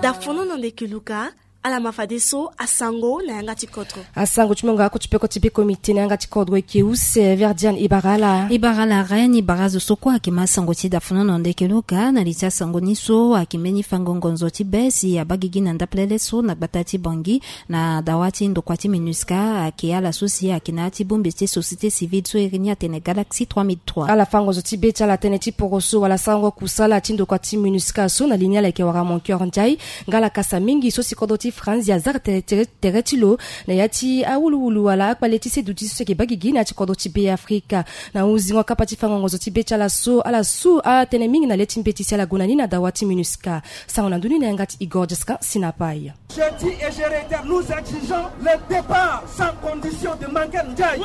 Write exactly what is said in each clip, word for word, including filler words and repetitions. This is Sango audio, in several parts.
Dafono na ndeke luka. Ala ma fadeso asango na yanga ti kodro. Asango ti mongo ako ti peko ti beko mite na yanga ti kodro eke use verdian ibarala. Ibarala reine ibara zo so kue ake ma sango ti dafono na ndeke luka na li ti asango ni so ake mbeni fango ngonzo ti be si abagigi na ndapelele so na gbata ti bangi na dawa ti ndokua ti minusca ake ala so si ake na ya ti bombe ti société civile so iri ni atene galaxie trois mille trois. Ala fango zo ti be ti ala tënë ti poroso wala sarango kusala ti ndokua ti minusca so na li ni ala yeke wara moncoeur ndiaye. Nga ala kasa mingi so si kodro ti franzi azara tere ti lo na ya ti awuluwulu wala akpale ti seduti so si yeke baa gigi na ya ti kodro ti be afrika. Na hunzingo akapa ti fango ngonzo ti be ti ala so ala su atënë mingi na le ti mbeti si ala gue na ni na dawa ti minusca. Sango na ndoni na yanga ti igor jascan sinapaya. Jeudi et je réitère, nous exigeons le départ sans condition de Mankel Ndiaye.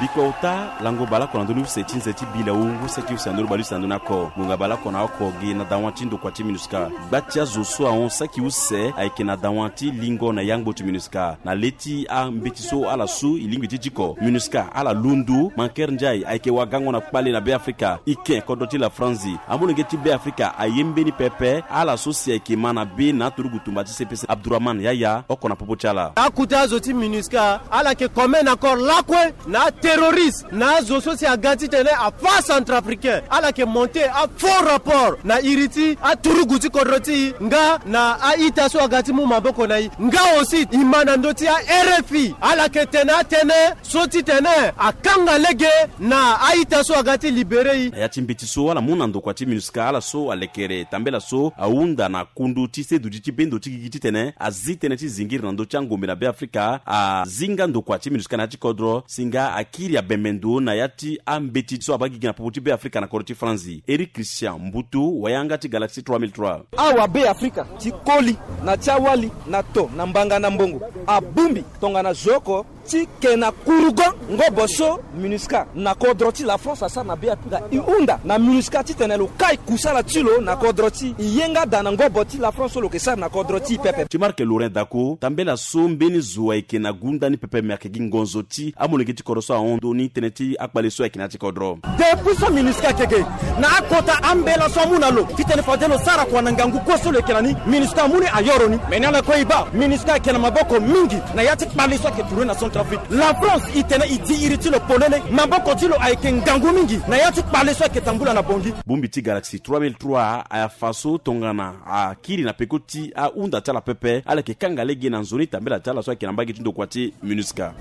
Biko ota lango baleoko na ndoni use ti nze ti bila wu use ti use na ndoni baleuse na ndoni ako ngonga baleoko na oko gi na dawa ti ndokua ti minusca. Gba ti azo so ahon saki use ayeke na dawa ti lingo na yangbo ti minusca na le ti ambeti so ala su e lingbi ti diko minusca ala lundu Mankel Ndiaye ayeke wagango na kpale na be afrika. Ike kodro ti la franzi amolenge ti be afrika aye mbeni pepe ala so si ayeke ma na be na aturugu tumba ti cpc abdurahman yaya oko na popo ti ala. Akute azo ti minusca ala yeke commet na corps lakue na aterroriste na azo so si aga titene afa centrafricain ala yeke monte afaux rapport na iri ti aturugu ti kodro ti e nga na a-ita so aga ti mu maboko na e. Nga aussi e ma na ndö ti arfi ala yeke tene atënë so titene akanga lege na a-ita so aga ti libere e. Na ya ti mbeti so ala mu na ndokua ti minusca ala so alekere tambela so ahunda na kundu ti seduti ti bendo ti gigi titene azi tënë ti zingiri na ndö ti angombe na be afrika azi nga ndokua ti minusca na ya ti kodro si nga akiri abembe ndo na ya ti ambeti so abaa gigi na popo ti be afrika na kodro ti franzi. Eric christian mbutu wayanga ti galaxie trois mille trois. Awa be afrika ti koli na ti awali na to na mbanga na mbongo abumbi tongana zo oko ti ke na kurugo ngobo so minusca na kodro ti la france asara na be afrika e hunda na minusca titene lo kai kusala ti lo na kodro ti e ye nga daa na ngobo ti la france so lo yeke sara na kodro ti e pepe. Ti marke laurent dako tambela so mbeni zo ayeke na gunda ni pepe me ayeke gi ngonzo ti amolenge ti kodro so ahon ndoni tënë ti akpale so ayeke na ya ti kodro. Depuis so minusca ayeke ge na akota ambela so amu na lo titene fade lo sara kua na ngangu kue so lo yeke na ni minusca amu ni ayoro ni. Me ni ala kue e baa minusca ayeke na maboko mingi na ya ti kpale so ayeke tourne na centrafrique. La france e tene e di iri ti lo polele maboko ti lo ayeke ngangu mingi na ya ti kpale so ayeke tambula na bongi. Bongbi ti galaxie trois mille trois afa so tongana akiri na peko ti ahunda ti ala pepe ala yeke kanga lege na nzoni tambela ti ala so ayeke na mbage ti ndokua ti minusca.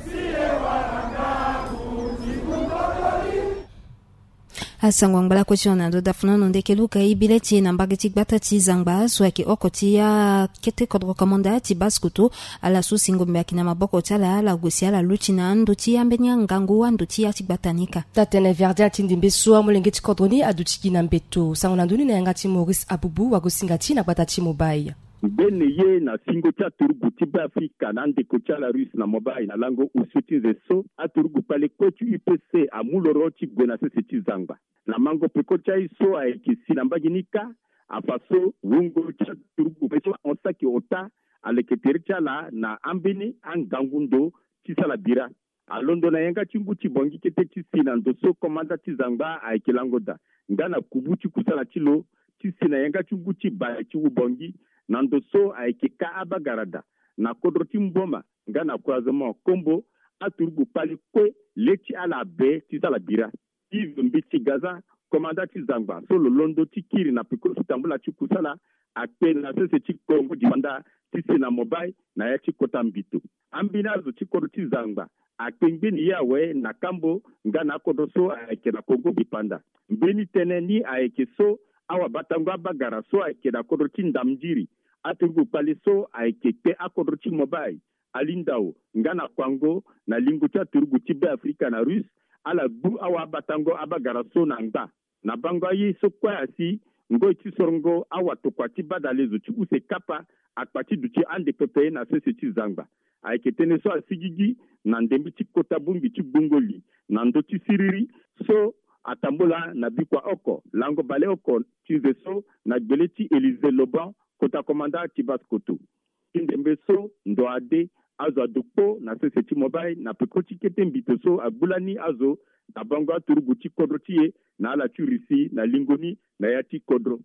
Asango angba lakue ti hon na ndo dafuna no ndeke luka e bi le ti e na mbage ti gbata ti zangba so ayeke oko ti akete kodro komanda ti basse koto. Ala so si ngombe ayeke na maboko ti ala ala gue si ala luti na ando ti ambeni angangu ando ti ya ti gbata ni ka. Tatene verdian ti ndimbe so amolenge ti kodro ni aduti gi na mbeto sango na ndoni na yanga ti maurice abubu wagosinga ti na gbata ti mobile. Mbeni ye na singo ti aturugu ti be afrika na andeko ti ala russe na mobile na lango usu ti nze so aturugu kpale kue ti upc amu loro ti gue na sese ti zangba. Na mango peko ti aye so ayeke si na mbage ni kâ. Afa so wungo ti aturugu be so ahon saki ota aleke tere ti ala na ambeni angangu ndo ti sala bira. Alondo na yanga ti ngu ti bongi kete ti si na ndo so komanda ti zangba ayeke lango daa nga na kubu ti kusala ti lo ti si na yanga ti ngu ti bale ti wu bongi na ndo so ayeke kâ abagara daa na kodro ti mboma nga na croisement kombo. Aturugu kpale kue le ti ala abe ti sala bira. Ive mbeti gaza komanda ti zangba so lo londo ti kiri na peko ti tambula ti kusala akpe na sese ti kongo dimanda ti si na mobile na ya ti kota mbito. Ambeni azo ti kodro ti zangba akpe ngbeni ye awe na kambo nga na akodro so ayeke na kongo dipanda. Mbeni tënë ni ayeke so awabatango abagara so ayeke na kodro ti ndamndiri aturugu kpale so ayeke kpe akodro ti mobile alindao nga na kuango na lingo ti aturugu ti be afrika na russe. Ala gbu awabatango abagara so na ngba na bango aye so kue asi ngoi ti sorongo awatokua ti badale zo ti use kapa akpa ti duti ande pepe na sese ti zangba. Ayeke tënë so asigigi na ndembe ti kota bongbi ti gbongo li na ndö ti siriri so atambula na bikua oko lango baleoko ti nze so na gbele ti élysée loban kota komanda ti basse koto. Ti ndembe so ndo ade azo ado kpo na sese ti mobile na peko ti kete mbito so agbu lani azo na bango aturugu ti kodro ti e na ala ti russie na lingo ni na ya ti kodro.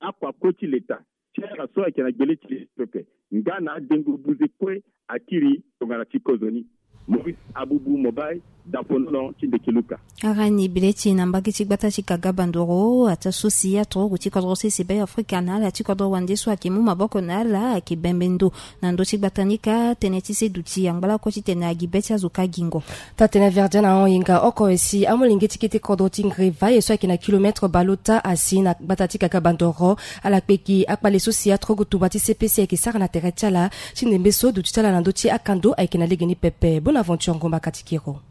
akua kue ti leta ti ala so ayeke na gbele ti leta pepe nga na adengo buze kue akiri tongana ti kozoni. Maurice Abubu Mobai, daponono ti Ndeke Luka. Arani bile ti na mbage ti gbata ti Kaga Bandoro ata so si aturugu ti kodro sese Be Afrika na ala ti kodro wande so ayeke mu maboko na ala ayeke bembe ndo na ndö ti gbata ni ka tënë ti se duti angba lakue titene agi be ti azo ka gingo. Taa-tënë Verdien ahon hinga oko e si amolenge ti kete kodro ti Ngrivaye so ayeke na kilomètre baleota asi na gbata ti Kaga Bandoro. Ala kpeki akpale so si aturugu tumba ti C P C ayeke sara na tere ti ala ti ndembe so duti ti ala na ndö ti akando ayeke na legeni pepe. Bonaventure Ngomba Katikiro.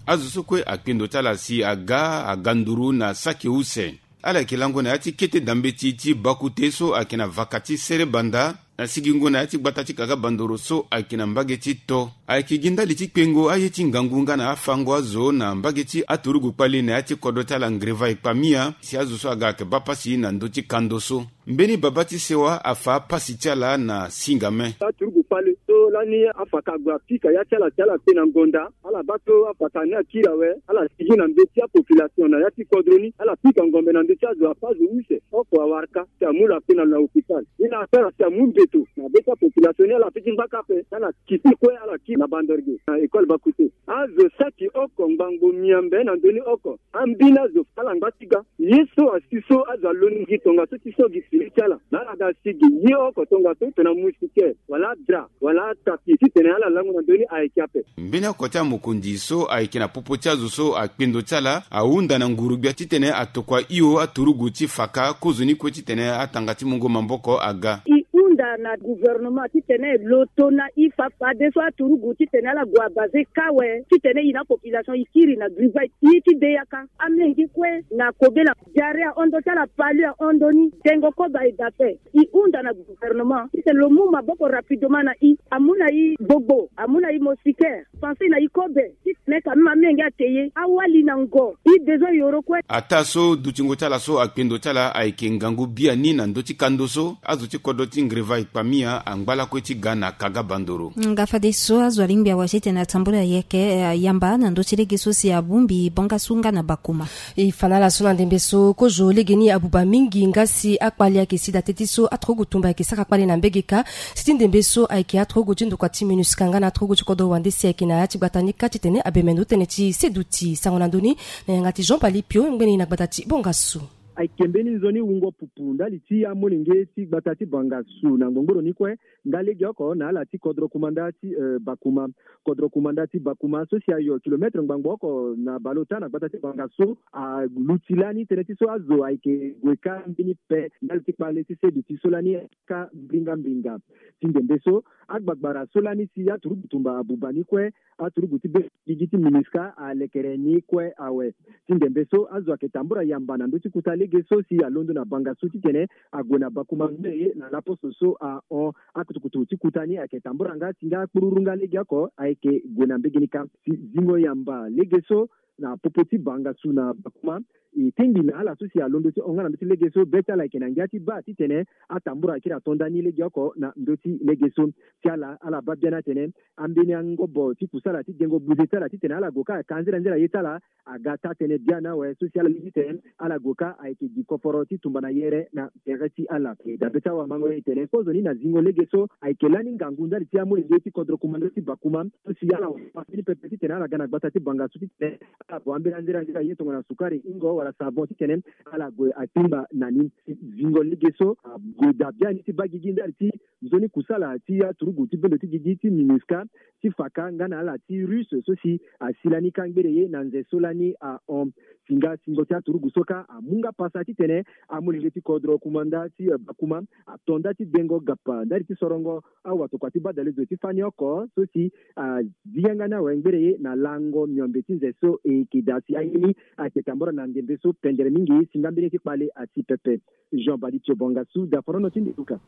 Azo so kue akpe ndo ti ala si aga aga nduru na saki use. Ala yeke lango na ya ti kete dambeti ti bakute so ayeke na vaka ti sere banda na sigingo na ya ti gbata ti Kaga Bandoro so ayeke na mbage ti to. Ayeke gi ndali ti kpengo aye ti ngangu nga na afango azo na mbage ti aturugu kpali na ya ti kodro ti ala Ngrivaye Kpamia si azo so aga ayeke baa pasi na ndö ti kando so. Mbeni babâ ti sewa afa pasi ti ala na singame. Aturugu kpale so lani afaka gue apika ya ti ala si ala kpe na ngonda. Ala baa so afaka ni akiri awe. Ala sigi na ndö ti apopulation na ya ti kodro ni. Ala pika ngombe na ndö ti azo apa azo use oko awara ka si amu lo akpe na lo na hôpital. Ni na asara si amu mbeto na be ti apopulation ni ala fiti ngba ka ape. Ala kiti kue ala kiri na Bandoro ge na école bakute. Azo saki oko ngbangbo miambe na ndö ni oko. Ambeni azo ala ngba ti ga. Ye so asi so azo aloni gi tongaso ti so gi fini ti ala. Na ala ga asi gi ye oko tongaso tongana moustiquaire wala drap wala tapis titene ala lango na ndö ni ayeke ape. Mbeni oko ti amokonzi so ayeke na popo ti azo so akpe ndo ti ala ahunda na nguru-gbia titene atokua hio aturugu ti fa ka kozoni kue titene atanga ti mungo maboko aga. E hunda na gouvernement titene lo to na e fa fadeso aturugu titene ala gue abaze ka awe titene e na apopulation e kiri na Ngrivaye. Ye ti de yaka amolenge kue na kobela. Diarrhée ahon ndo ti ala, palu ahon ndo ni, dengo kobe ayeke ape. E hunda na gouvernement titene lo mu maboko rapidement na e, amu na e gbogbo, amu na e moustiquaire, panse na e kobe titene ka même amolenge ate ye awali na ngo. E besoin yoro kue. Ataa so dutingo ti ala so akpe ndo ti ala ayeke ngangu biani na ndö ti kando so azo ti kodro ti Ngrivaye Kpamia angba lakue ti ga na Kaga Bandoro. Nga fadeso azo alingbi awa titene atambula yeke, eh, yamba na ndö ti lege so si abongbi Bangassou nga na Bakouma. E fa na ala so na ndembe so kozo legeni abuba mingi nga si akpale ayeke si da teti so aturugu tumba ayeke sara kpale na mbege ka. Si ti ndembe so ayeke aturugu ti ndokua ti MINUSCA nga na aturugu ti kodro wande si ayeke na ya ti gbata ni ka titene abembe ndo tënë ti se duti sango na ndö ni na yanga ti Jean Bali Pio ngbeni na gbata ti Bangassou. Ayeke mbeni nzoni wungo pupu ndali ti amolenge ti gbata ti Bangassou na ngbongboro ni kue. Nga legeoko na ala ti kodro kumanda ti, eh, Bakouma. Kodro kumanda ti Bakouma so si ayo kilomètre ngbangbo oko na baleota na gbata ti Bangassou aluti lani tënë ti so azo ayeke gue ka mbeni pe ndali ti kpale ti se duti so lani ka mbringa mbringa. Ti ndembe so agbagbara so lani si aturugu tumba abuba ni kue, aturugu ti be gigi ti MINUSCA alekere ni kue awe. Ti ndembe so azo ayeke tambura yamba na ndö ti kuta lege so si alondo na Bangassou titene ague na Bakouma ngbene ye na laposo so ahon. Akutukutu ti kuta ni ayeke tambura nga si nga kpururu nga legeoko ayeke gue na mbege ni ka. Si zingo yamba lege so na popo ti Bangassou na Bakouma e tingbi na ala so si alondo ti hon nga na ndö ti lege so be ti ala ayeke na ngia ti baa titene atambura akiri ato ndani legeoko na ndö ti lege so. Ti ala ala baa biani atene ambeni angobo ti kusala ti dengo buze ti ala titene ala gue ka aka nzera nzera ye ti ala aga taa-tënë biani awe so si ala lingbi titene ala gue ka ayeke gi koforo ti tumba na yere na tere ti ala. E dabe ti awamango e tene kozoni na zingo lege so ayeke lani ngangu ndali ti amolenge ti kodro kumanda ti Bakouma so si ala wara mbeni pepe titene ala ga na gbata ti Bangassou titene ala gue ambeni anzera nzera ye tongana sukari ingo wala savon titene ala gue atimba na ni. Zingo lege so ague daa biani ti baa gigi ndali ti nzoni kusala ti aturugu ti bendo ti gigi ti MINUSCA ti fa ka nga na ala ti russe so si asi lani ka ngbene ye na nze so lani ahon. Si nga singo ti aturugu so ka amu nga pasa titene amolenge ti kodro kumanda ti, eh, Bakouma ato nda ti dengo gapa ndali ti sorongo awatokua ti badalezo ti fani oko so si azi yanga ni awe ngbene ye na lango miombe ti nze so e yeke daa si aye ni ayeke tambura na ndembe so pendere mingi si nga mbeni ye ti kpale asi pepe. Jean Badi Tio Bangassou, daforono ti Ndeke Luka.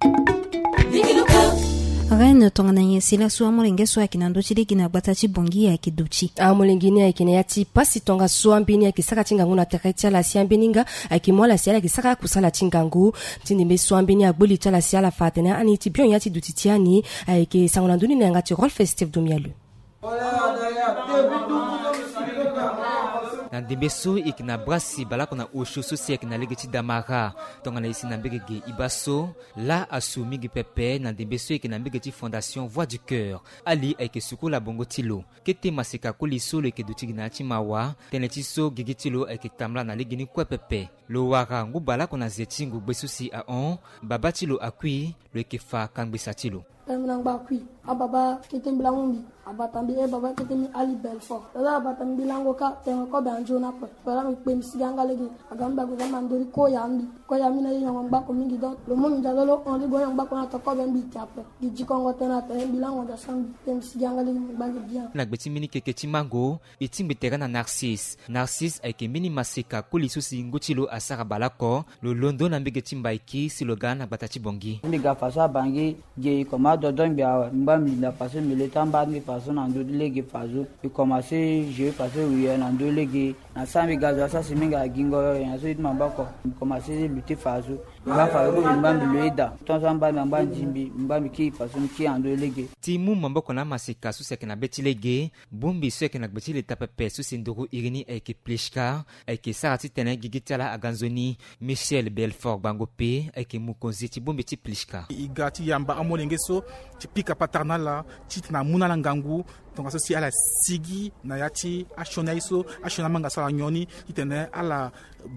Reine tongana nyen si laso amolenge so ayeke na ndö ti lege na gbata ti Bangui ayeke duti? Amolenge ni ayeke na ya ti pasi tongaso ambeni ayeke sara ti ngangu na tere ti ala si ambeni nga ayeke mu ala si ala yeke sara akusala ti ngangu. Ti ndembe so ambeni agbu li ti ala si ala fa atene ani ti bion ya ti duti ti ani. Ayeke sango na ndö ni na yanga ti Rolf Steve Domialeu. Na ndembe so e yeke na bra si baleoko na osio so si ayeke na lege ti Damara. Tongana e si na mbege ge e baa so, laa asu mingi pepe na ndembe so e yeke na mbege ti Fondation Voix du Coeur. Ali ayeke suku la bongo ti lo. Kete maseka koli so lo yeke duti gi na ya ti mawa, tënë ti so gigi ti lo ayeke tambula na legeni kue pepe. Lo wara ngu baleoko na ze ti ngugbe so si ahon, babâ ti lo akui, lo yeke fa kangbisa ti lo. Tënë mbi na ngba akui, ababâ kete mbi lango mbi, abata mbi, e babâ kete mbi Ali Belfort. Tongana abata mbi lango kâ, tene kobe anzoni ape. Tongana mbi kpe mbi sigi anga lege, aga mbi ague za mbi andoni koya mbi. Koya mbi na ye nyongo ngbako mingi, donc lo mu mbi ndia lo lo hon li gue nyongo ngbako na to kobe mbi ti ape. Gi dikongo tënë atene mbi lango ndia so mbi kpe mbi sigi anga lege mbi ngba gi bien. Na gbe ti mbeni keke ti mango, e tingbi tere na Narcisse. Narcisse ayeke mbeni maseka koli so si ngu ti lo asara baleoko. Lo londo na mbege ti Mbaiki si lo ga na gbata ti Bongi. Mbi ga faso abangui, ge e koma dodo ngbi awe, mbi ngba mbi linda faso mbi le ti amba ni faso na ndö ti lege faso. E komanse jeu faso wiye na ndö lege. Na sara mbi ga zo asara si mbi ga gingo yo, na so ye ti maboko. Mbi komanse lutter faso. Mbi ga faso mbi ngba mbi lo eda. Tongaso amba mbi angba nzimbi, mbi ngba mbi kiri faso mbi kiri na ndö lege. Ti mu maboko na amaseka so si ayeke na be ti lege. Bongbi so ayeke na gbe ti leta pepe so si nduru iri ni ayeke Pliska, ayeke sara titene gigi ti ala aga nzoni. Michel Belfort Gbango pe ayeke mokonzi ti bongbi ti Pliska. E ga ti yamba amolenge so ti pika patara na ala titene amu na ala ngangu, tongaso si ala sigi na ya ti asioni aye so asioni amanga so ala nyon ni, titene ala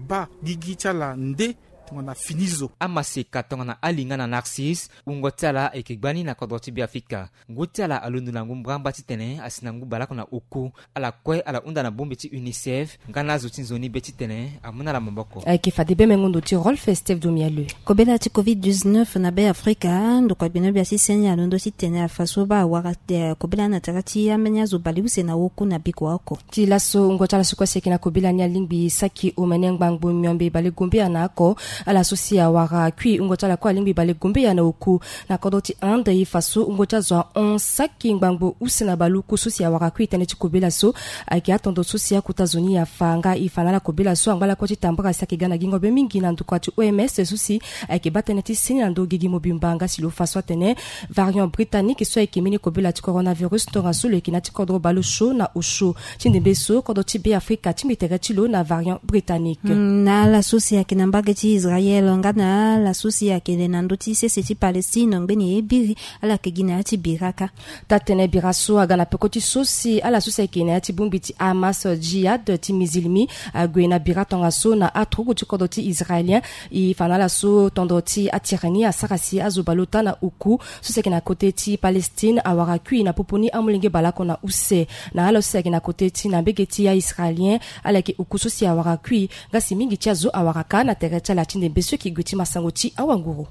baa gigi ti ala nde tongana fini zo. Amaseka tongana ali nga na Narcisse, wungo ti ala ayeke gbani na kodro ti Beafrika. Ngu ti ala alondo na ngu mbrambra titene asi na ngu baleoko na oku. Ala kue ala hunda na bongbi ti UNICEF nga na azo ti nzoni be titene amu na ala maboko. Ayeke fade be mengo ndo ti Rolf Steve Domiale. Kobela ti covid dix-neuf na Beafrika, ndokua gbenogbia ti seni alondo titene afa so baa awara, eh, kobela na tere ti ambeni azo baleuse na oku na biko oko. Ti laso wungo ti ala so kue si ayeke na kobela ni alingbi saki omene ngbangbo miombe balegombea na oko. Ala so si awara kui wungo ti ala kue alingbi balegombea na oku. Na kodro ti Inde, e fa so wungo ti azo ahon saki ngbangbo use na baleoku so si awara kui tënë ti kobela so. Ayeke atondo so si akota zo ni afa nga e fa na ala kobela so angba lakue ti tambara si ayeke ga na gingo be mingi na ndokua ti O M S so si ayeke baa tënë ti seni na ndö gigi mobimba nga si lo fa so atene variant britannique so ayeke mbeni kobela ti coronavirus tongaso lo yeke na ya ti kodro baleosio na osio. Ti ndembe so kodro ti Beafrika atingbi tere ti lo na variant britannique. Hmm, na ala so si ayeke na mbage ti Israël nga na ala so si ayeke na ndö ti sese ti Palestine ngbeni e biri, ala yeke gi na ya ti bira kâ. Taa-tënë bira so aga na peko ti so si ala so si ayeke na ya ti bongbi ti Hamas Jihad ti Mizilmi ague na bira tongaso na aturugu ti kodro ti Israélien. E fa na ala so tondo ti atere ni asara si azo baleota na oku so si ayeke na kote ti Palestine awara kui na popo ni amolenge baleoko na use. Na ala so si ayeke na kote ti na mbege ti aIsraélien, ala yeke oku so si awara kui, nga si mingi ti azo awara kâ na tere ti ala ti ndembe so e yeke gue ti masango ti awanguru.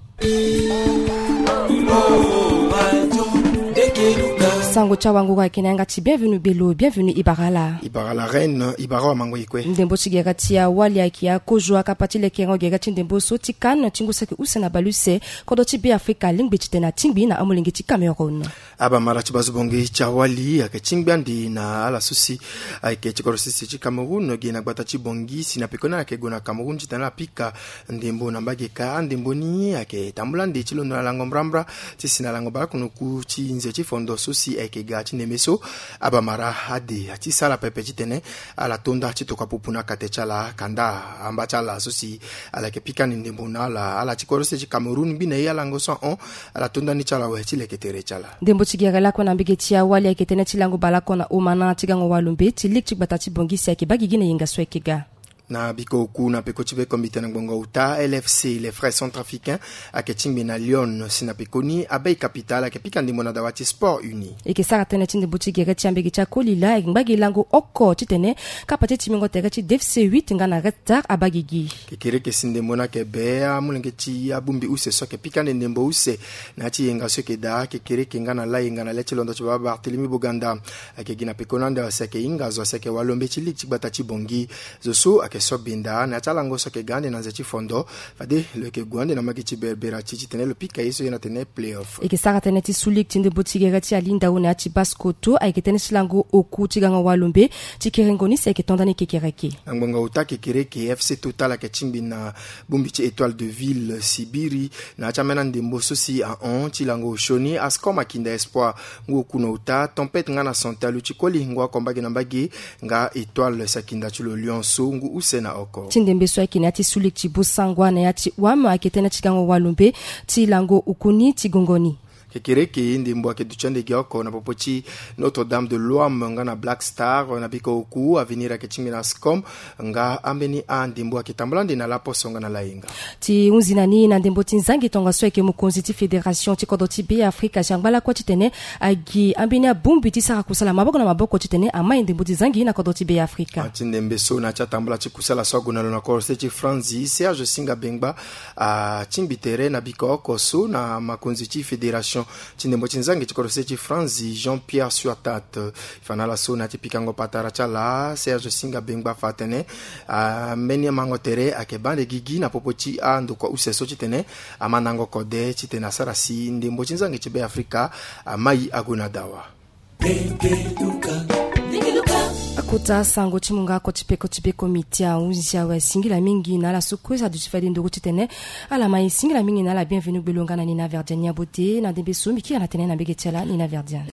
Sango ti awanguru ayeke na yanga ti Bienvenu Belo. Bienvenu, e bara ala. E bara la reine, e bara awamango e kue. Ndembo ti gere ti awali ayeke akozo akapa ti lekerengo gere ti ndembo so ti CAN ti ngu saki use na baleuse. Kodro ti Beafrika alingbi titene atingbi na amolenge ti Cameroun. Abamara ti bazo bongi ti awali ayeke tingbi ande na ala so si ayeke ti kodro sese ti Cameroun ge na gbata ti Bongi si na pekoni ala yeke gue na Cameroun titene ala pika ndembo na mbage kâ. Andembo ni ayeke tambula ande ti londo na lango mbrambra ti si na lango baleoko na oku ti nze ti fondo so si ayeke ga ti ndembe so. Abamara ade ati sara pepe titene ala to nda ti tokua pupu na kate ti ala kanda amba ti ala so si ala yeke pika ande ndembo na ala, ala ti kodro sese ti Cameroun ngbene e alango so ahon. Ala to nda ni ti ala awe ti leke tere ti ala. Ndembo ti gere lakue na mbege ti awali ayeke tënë ti lango baleoko na omana ti gango walombe ti ligue ti gbata ti Bongi si ayeke baa gigi na yenga so ayeke ga. Na biko oku na peko ti be kombite na ngbongo uta, L F C, les Frères Centrafricains, ayeke tingbi na Lyon si na pekoni abay capitale ayeke pika ndembo na dawa ti Sport Uni. E yeke sara tënë ti ndembo ti gere ti ambege ti akoli laa e ngba gi lango oko titene kapa ti timbingo tere ti D F C huit nga na Red Star abaa gigi. Kekereke si ndembo ni ayeke be amolenge ti abongbi use so ayeke pika ande ndembo use na ya ti yenga so ayeke daa kekereke nga na layenga na le ti londo ti baba Barthélemy Boganda. Ayeke gi na pekoni ande asi ayeke hinga zo asi ayeke walombe ti ligue ti gbata ti Bongi. Zo so ayeke So binda na ya ti alango so ayeke ga ande na nze ti fondo. Fade lo yeke gue ande na magi ti berbera ti titene lo pika ye so ye na tene playoff. E yeke sara tënë ti sulik ti ndembo ti gere ti alindao na ya ti baskoto ayeke tënë ti lango oku ti gango walombe ti kerengo ni si ayeke to ndani kekereke. Na ngbonga ota kekereke FC Total ayeke tingbi na bongbi ti Etoile de Ville Sibiri na ya ti ambeni andembo so si ahon ti lango osioni. Ascom akinda Espoir ngu oku na ota, Tempête nga na Santé aluti koli ngu oko mbage na mbage, nga Etoile si akinda ti lo Lion so ngu use na oko. Ti ndembe so ayeke na ya ti sulik ti Bosangwa na ya ti Wam ayeke tënë ti gango walombe ti lango oku ni ti gongo ni. Kekereke ndembo ayeke duti ande gi oko na popo ti Notre Dame de Loam nga na Black Star na biko oku. Avenir ayeke tingbi na Ascom nga ambeni andembo ayeke tambula ande na laposo nga na layenga. Ti hunzi na ni na ndembo ti nzangi tongaso ayeke mokonzi ti fédération ti kodro ti Be Afrika si angba lakue titene agi ambeni abongbi ti sara kusala maboko na maboko titene amai ndembo ti zangi na kodro ti Be Afrika. Ti ndembe so na ya ti atambula ti kusala so ague na lo na kodro se ti Franzi, Serge Singa Bengba atingbi tere na biko oko so na makonzi ti fédération ti ndembo ti nzangi ti kodro se ti Franzi, Jean-Pierre Suatat. Fa na ala so na ya ti pikango patara ti ala, Serge Singa Bengba fa atene ambeni amango tere ayeke baa ande gigi na popo ti andokua use so titene amandango kode titene asara si ndembo ti nzangi ti Be Afrika amai ague na dawa. Akota sango ti munga oko ti peko ti beko miti ahunzi awe asingila mingi na ala so kue aduti fade nduru titene ala mai singila mingi na ala. Bienvenu gbelo nga na Nina Verdian Niabote na ndembe so mbi kiri na tene na mbege ti ala Nina Verdian.